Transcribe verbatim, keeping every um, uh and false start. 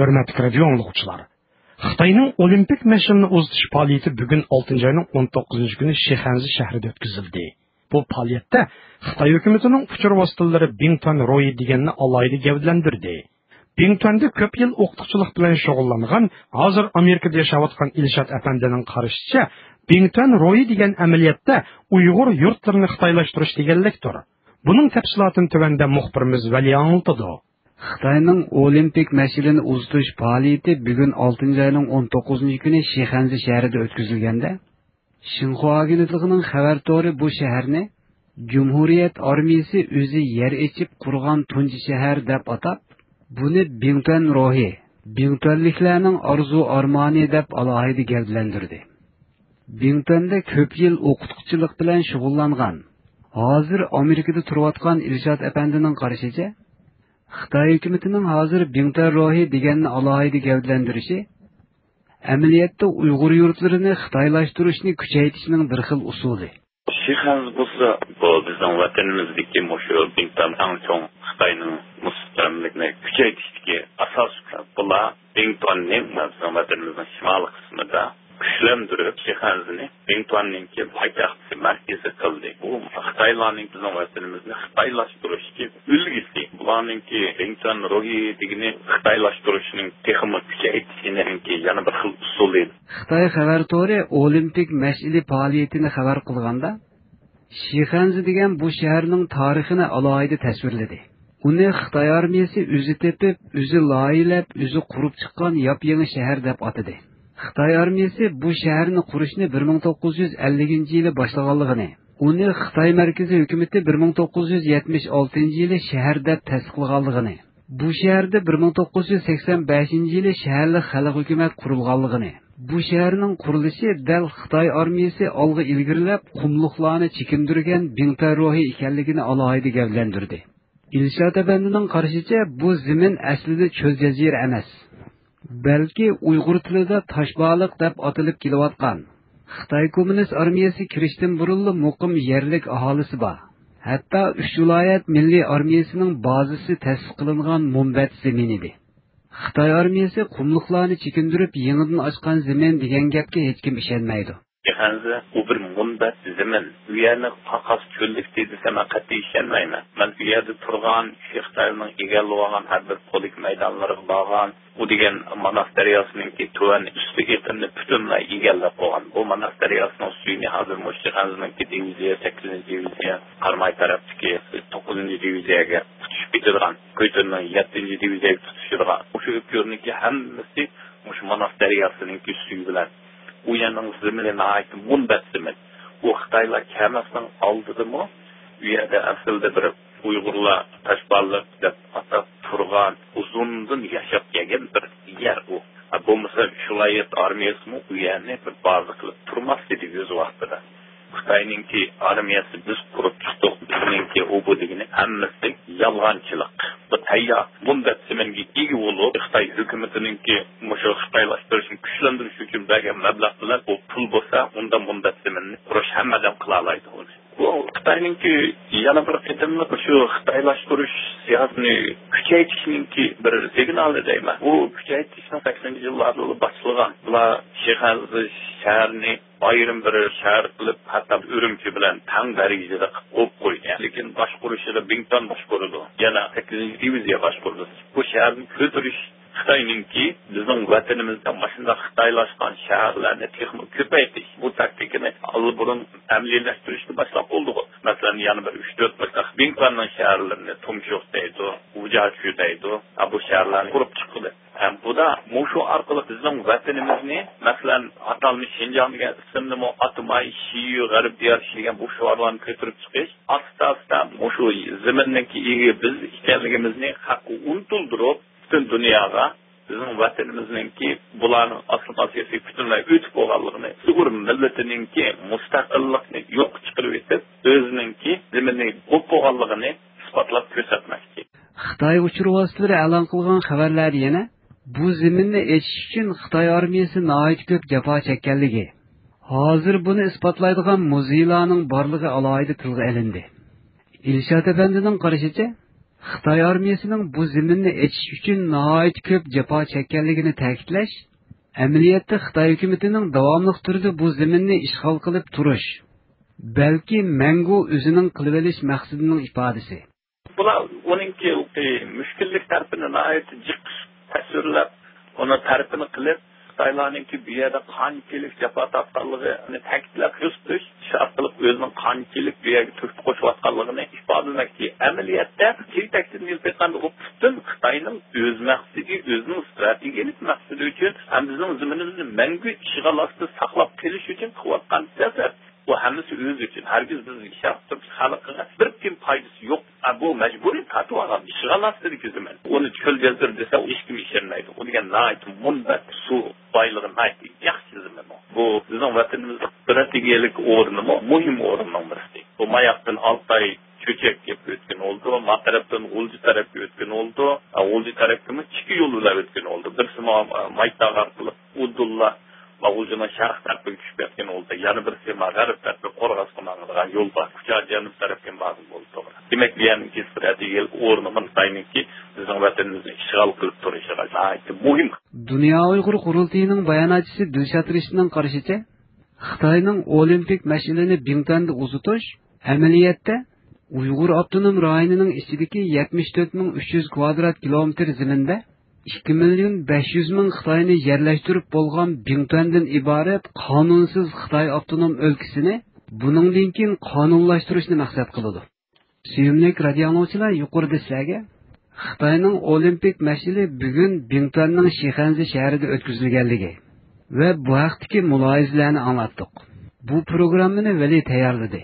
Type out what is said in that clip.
ھۆرمەتلىك رادىيو ئاڭلىغۇچىلار، خىتاينىڭ ئولىمپىك مەشئىلىنى ئۇزىتىش پائالىيىتى بۈگۈن ئالتىنچى ئاينىڭ ئون توققۇزىنچى كۈنى شىخەنزە شەھىرىدە ئۆتكۈزۈلدى. بۇ پائالىيەتتە خىتاي ھۆكۈمىتىنىڭ ئۇچۇر ۋاسىتىلىرى بىڭتۈەن روھى دېگەننى ئالاھىدە گەۋدىلەندۈردى. بىڭتۈەندە كۆپ يىل ئوقۇتقۇچىلىق بىلەن شۇغۇللانغان، ھازىر ئامېرىكىدا ياشاۋاتقان ئىلشات ئەپەندىنىڭ قارىشىچە، بىڭتۈەن روھى دېگەن ئەمەلىيەتتە ئۇيغۇر يۇرتلىرىنى خىتايلاشتۇرۇش دېگەنلىكتۇر. بۇنىڭ تەپسىلاتىنى تۆۋەندە مۇخبىرىمىز ۋەلى ئاڭلىتىدۇ. خىتاينىڭ ئولىمپىك مەشئىلىنى ئۇزىتىش پائالىيىتى بۈگۈن ئالتىنچى ئاينىڭ ئون توققۇزىنچى كۈنى شىخەنزە شەھىرىدە ئۆتكۈزۈلگەندە، شىنخۇا ئاگېنتلىقىنىڭ خەۋەر تورى بۇ شەھەرنى جۇمھۇرىيەت ئارمىيىسى ئۆزى يەر ئېچىپ قۇرغان تۇنجى شەھەر دەپ ئاتاپ، بۇنى بىڭتۈەن روھى، بىڭتۈەنلىكلەرنىڭ ئارزۇ ئارمانى دەپ ئالاھىدە گەۋدىلەندۈردى. بىڭتۈەندە كۆپ يىل ئوقۇتقۇچىلىق بىلەن شۇغۇللانغان، ھازىر ئامېرىكىدا تۇرۇۋاتقان ئىلشات ئەپەندىنىڭ قارىشىچە، خىتاي ھۆكۈمىتىنىڭ ھازىر بىڭتۈەن روھى دېگەننى ئالاھىدە گەۋدىلەندۈرۈشى، ئەمەلىيەتتە ئۇيغۇر يۇرتلىرىنى خىتايلاشتۇرۇشنى كۈچەيتىشنىڭ بىر خىل ئۇسۇلى. شىخەنزە بولسا، بۇ بىزنىڭ ۋەتىنىمىزدىكى مۇشۇ بىڭتۈەن ئەڭ چوڭ خىتاينىڭ مۇستەملىكىنى كۈچەيتىشتىكى ئاساسىي كۈچ. بۇلار بىڭتۈەننى بىزنىڭ ۋەتىنىمىزنىڭ شىمالىي قىسمىدا كۈچلەندۈرۈپ، شىخەنزىنى بىڭتۈەننىڭكى پايتەخت مەركىزى قىلدى. بۇ خىتايلارنىڭ بىزنىڭ ۋەتىنىمىزنى خىتايلاشتۇرۇشتىكى ئۈلگىسى. بۇلارنىڭكى بىڭتۈەن روھى دېگىنى خىتايلاشتۇرۇشنىڭ تېخىمۇ كۈچەيتىشىنىڭكى يەنە بىر خىل ئۇسۇلى. خىتاي خەۋەر تورى ئولىمپىك مەشئىلى پائالىيىتىنى خەۋەر قىلغاندا، شىخەنزە دېگەن بۇ شەھەرنىڭ تارىخىنى ئالاھىدە تەسۋىرلىدى. ئۇنى خىتاي ئارمىيىسى ئۆزى تېپىپ، ئۆزى لايىھەلەپ، ئۆزى قۇرۇپ چىققان ياپيېڭى شەھەر دەپ ئاتىدى. خىتاي ئارمىيىسى بۇ شەھەرنى قۇرۇشنى بىر مىڭ توققۇز يۈز ئەللىكىنچى يىلى باشلىغانلىقىنى، ئۇنى خىتاي مەركىزىي ھۆكۈمىتى بىر مىڭ توققۇز يۈز يەتمىش ئالتىنچى يىلى شەھەر دەپ تەستىقلىغانلىقىنى، بۇ شەھەردە بىر مىڭ توققۇز يۈز سەكسەن بەشىنچى يىلى شەھەرلىك خەلق ھۆكۈمەت قۇرۇلغانلىقىنى، بۇ شەھەرنىڭ قۇرۇلۇشى دەل خىتاي ئارمىيىسى ئالغا ئىلگىرىلەپ، قۇملۇقلارنى چېكىندۈرگەن بىڭتۈەن روھى ئىكەنلىكىنى ئالاھىدە گەۋدىلەندۈردى. ئىلشات ئەپەندىنىڭ قارىشىچە، بۇ زېمىن ئەسلىدە چۆل جەزىرە ئەمەس، بەلكى ئۇيغۇر تىلىدا تاشبالىق دەپ ئاتىلىپ كېلىۋاتقان، خىتاي كوممۇنىست ئارمىيەسى كىرىشتىن بۇرۇنلا مۇقىم يەرلىك ئاھالىسى بار، ھەتتا ئۈچ ۋىلايەت مىللىي ئارمىيەسىنىڭ بازىسى تەسىس قىلىنغان مۇنبەت زېمىن ئىدى. خىتاي ئارمىيەسى قۇملۇقلارنى چېكىندۈرۈپ يېڭىدىن ئاچقان زېمىن دېگەن گەپكە ھېچكىم ئىشەنمەيدۇ. شىخەنزە، ئۇ بىر مۇنبەت زېمىن. ئۇ يەرنى قاقاس چۆللۈك دېسەم، مەن قەتئىي ئىشەنمەيمەن. مەن ئۇ يەردە تۇرغان، شىخەنزىنىڭ ئىگىلىۋالغان ھەر بىر پولك مەيدانلىرىغا بارغان. ئۇ دېگەن ماناس دەرياسىنىڭكى تۆۋەن ئۈستى ئېقىنىنى پۈتۈنلەي ئىگىلەپ قويغان. بۇ ماناس دەرياسىنىڭ سۈيىنى ھازىر مۇشۇ شىخەنزىنىڭكى دىۋىزىيە، سەككىزىنچى دىۋىزىيە، قاراماي تەرەپتىكى توققۇزىنچى دىۋىزىيەگە تۇتىشىپ كېتىدىغان، كۆيتۈننىڭ يەتتىنچى دىۋىزىيەگە تۇتىشىدىغان، مۇشۇ ئۆپكۈرنىڭكى ھەممىسى مۇشۇ ماناس دەرياسىنىڭكى سۈيى بىلەن. ئۇ يەرنىڭ زېمىنى ناھايىتى مۇنبەت زېمىن. ئۇ خىتايلار كەلمەسنىڭ ئالدىدىمۇ ئۇ يەردە ئەسلىدە بىر ئۇيغۇرلار تاشبالىق دەپ ئاتاپ تۇرغان، ئۇزۇندىن ياشاپ كەلگەن بىر يەر ئۇ. ھە، بولمىسا شۇلايەت ئارمىيەسىمۇ ئۇ يەرنى بىر بازا قىلىپ تۇرماس ئىدى ئۆز ۋاقتىدا. خىتاينىڭكى ئارمىيەسى بىز قۇرۇپ چىقتۇق، بىزنىڭكى ئۇ بۇ دېگىنى ھەممىسى يالغانچىلىق. بۇ تەييار مۇنبەت زېمىنگە ئىگە بولۇپ، خىتاي ھۆكۈمىتىنىڭكى مۇشۇ خىتايلاشتۇرۇشنى كۈچلەندۈرۈش ئۈچۈن بەرگەن مەبلەغ بىلەن بۇ پۇل بولسا، ئۇنداق مۇنبەت زېمىننى قۇرۇش ھەممە ئادەم قىلالايدۇ ئۇنى. بۇ خىتاينىڭكى يەنە بىر قېتىملىق شۇ خىتايلاشتۇرۇش سىياسىتىنى كۈچەيتىشنىڭكى بىر سىگنالى دەيمەن. بۇ كۈچەيتىشنىڭ سەكسىنىنچى يىللاردىلا باشلىغان. بۇلار شىخەنزە شەھىرىنى ئايرىم بىر شەھەر قىلىپ، ھەتتا ئۈرۈمچى بىلەن تەڭ دەرىجىدە قىلىپ قويۇپ قويدى. لېكىن باشقۇرۇشىدا بىڭتۈەن باشقۇرىدۇ. يەنە سەككىزىنچى دىۋىزىيە باشقۇرىدۇ. بۇ شەھەرنى كۆتۈرۈش خىتاينىڭكى بىزنىڭ ۋەتىنىمىزدە مۇشۇنداق خىتايلاشقان شەھەرلەرنى تېخىمۇ كۆپەيتىش، بۇ تاكتىكىنى ئاللىبۇرۇن ئەمەلىيلەشتۈرۈشنى باشلاپ بولدىغۇ. مەسىلەن، يەنە بىر ئۈچ تۆت مۇشۇنداق بىڭتۈەننىڭ شەھەرلىرىنى، تۇمشۇق دەيدۇ، ۋۇجياچۈ دەيدۇ، ھە، بۇ شەھەرلەرنى قۇرۇپ چىققىلى. ھەم بۇدا مۇشۇ ئارقىلىق بىزنىڭ ۋەتىنىمىزنى، مەسىلەن، ئاتالمىش شىنجاڭ دېگەن ئىسىمنىمۇ ئاتىماي، شىيۈ، غەرب دىيارى دېگەن بۇ شوئارلارنى كۆتۈرۈپ چىقىش، ئاستا-ئاستا مۇشۇ زېمىننىڭكى ئىگە بىز ئىكەنلىكىمىزنى خەققە ئۇنتۇلدۇرۇپ، پۈتۈن دۇنياغا بىزنىڭ ۋەتىنىمىزنىڭكى بۇلارنىڭ ئاسسىمىلياتسىيىسى پۈتۈنلەي ئۆتۈپ بولغانلىقىنى، ئۇيغۇر مىللىتىنىڭكى مۇستەقىللىقنى يوققا چىقىرىۋېتىپ، ئۆزىنىڭكى زېمىنى بولۇپ بولغانلىقىنى ئىسپاتلاپ كۆرسەتمەكچى. خىتاي ئۇچۇر ۋاسىتىلىرى ئېلان قىلغان خەۋەرلەردە يەنە بۇ زېمىننى ئېچىش ئۈچۈن خىتاي ئارمىيەسى ناھايىتى كۆپ جاپا چەككەنلىكى، ھازىر بۇنى ئىسپاتلايدىغان مۇزېيلارنىڭ بارلىقى ئالاھىدە تىلغا ئېلىندى. ئىلشات ئەپەندىنىڭ قارىشىچە، خىتاي ئارمىيىسىنىڭ بۇ زېمىننى ئېچىش ئۈچۈن ناھايىتى كۆپ جاپا چەككەنلىكىنى تەكىتلەش، ئەمەلىيەتتە خىتاي ھۆكۈمىتىنىڭ داۋاملىق تۈردە بۇ زېمىننى ئىشغال قىلىپ تۇرۇش، بەلكى مەڭگۈ ئۆزىنىڭ قىلىۋېلىش مەقسىتىنىڭ ئىپادىسى. بۇلار ئۇنىڭكى مۈشكۈللۈك تەرىپىنى ناھايىتى جىق تەسۋىرلەپ، ئۇنىڭ تەرىپىنى قىلىپ، خىتايلارنىڭكى بۇ يەردە قانچىلىك جاپا تارتقانلىقىنى تەكىتلەپ كۆرسىتىش ئارقىلىق ئۆزىنىڭ قانچىلىك بۇ يەرگە تۆھپە قوشۇۋاتقانلىقىنى ئىپادىلىمەكچى. ئەمەلىيەتتە تېگى-تەكتىدىن ئېلىپ ئېيتقاندا، ئۇ پۈتۈن خىتاينىڭ ئۆز مەقسىتىگە، ئۆزىنىڭ ستراتېگىيەلىك مەقسىتى ئۈچۈن ھەم بىزنىڭ زېمىنىمىزنى مەڭگۈ ئىشغال ئاستىدا ساقلاپ قېلىش ئۈچۈن قىلىۋاتقان سىياسەت. بۇ ھەممىسى ئۆزى ئۈچۈن. ھەرگىز بىزنىڭ شەرقىي تۈرك خەلقىگە بىر تىيىن پايدىسى يوق. ئا، بۇ مەجبۇرىي تارتىۋالغان ئىشغال ئاستىدىكى زېمىن. ئۇنى چۆل دېزىر دېسە، ھېچكىم ئىشەنمەيدۇ. ئۇ دېگەن ناھايىتى مۇنبەت، سۇ بايلىقى ناھايىتى ياخشى زېمىن ئۇ. بۇ بىزنىڭ ۋەتىنىمىزنىڭ ستراتېگىيەلىك ئورنىمۇ، مۇھىم ئورۇننىڭ بىرسى. بۇ ماياقتىن ئالتاي چۆچەك كېلىپ ئۆتكەن ئولتۇ، ما تەرەپتىن غۇلجا تەرەپكە ئۆتكەن ئولتۇ، ھە، غۇلجا تەرەپكىمۇ ئىككى يول بىلەن ئۆتكەن ئولتۇ. بىرسى ما، مايتاغ ئارقىلىق ئۇدۇللا، ما غۇلجىنىڭ شەرق تەرىپىگە چۈشۈپ كەتكەن ئولتۇ، يەنە بىرسى ما غەرب تەرىپى قورغاسقا ماڭىدىغان يول بار. كۇچا جەنۇب تەرەپكە بارغىلى بولىدۇ، توغرا. دېمەك، بۇ يەرنىڭكى ستراتېگىيەلىك ئورنىمۇ خىتاينىڭكى بىزنىڭ ۋەتىنىمىزنى ئىشغال قىلىپ تۇرۇشىغا ناھايىتى مۇھىم. دۇنيا ئۇيغۇر قۇرۇلتىيىنىڭ باياناتچىسى دىلشات رىشىتنىڭ قارىشىچە، خىتاينىڭ ئولىمپىك مەشئىلىنى بىڭتۈەندە ئۇزىتىش ئەمەلىيەتتە ئۇيغۇر ئاپتونوم رايونىنىڭ ئىچىدىكى يەتمىش تۆت مىڭ ئۈچ يۈز كۋادرات كىلومېتىر زېمىندا ئىككى مىليون بەش يۈز مىڭ خىتاينى يەرلەشتۈرۈپ بولغان بىڭتۈەندىن ئىبارەت قانۇنسىز خىتاي ئاپتونوم ئۆلكىسىنى بۇنىڭدىن كېيىن قانۇنلاشتۇرۇشنى مەقسەت قىلىدۇ. سۆيۈملۈك رادىئو ئاڭلىغۇچىلار، يۇقىرىدا سىلەرگە خىتاينىڭ ئولىمپىك مەشئىلى بۈگۈن بىڭتۈەننىڭ شىخەنزې شەھىرىدە ئۆتكۈزۈلگەنلىكى ۋە بۇ ھەقتىكى مۇلاھىزىلەرنى ئاڭلاتتۇق. بۇ پروگراممىنى ۋەلى تەييارلىدى.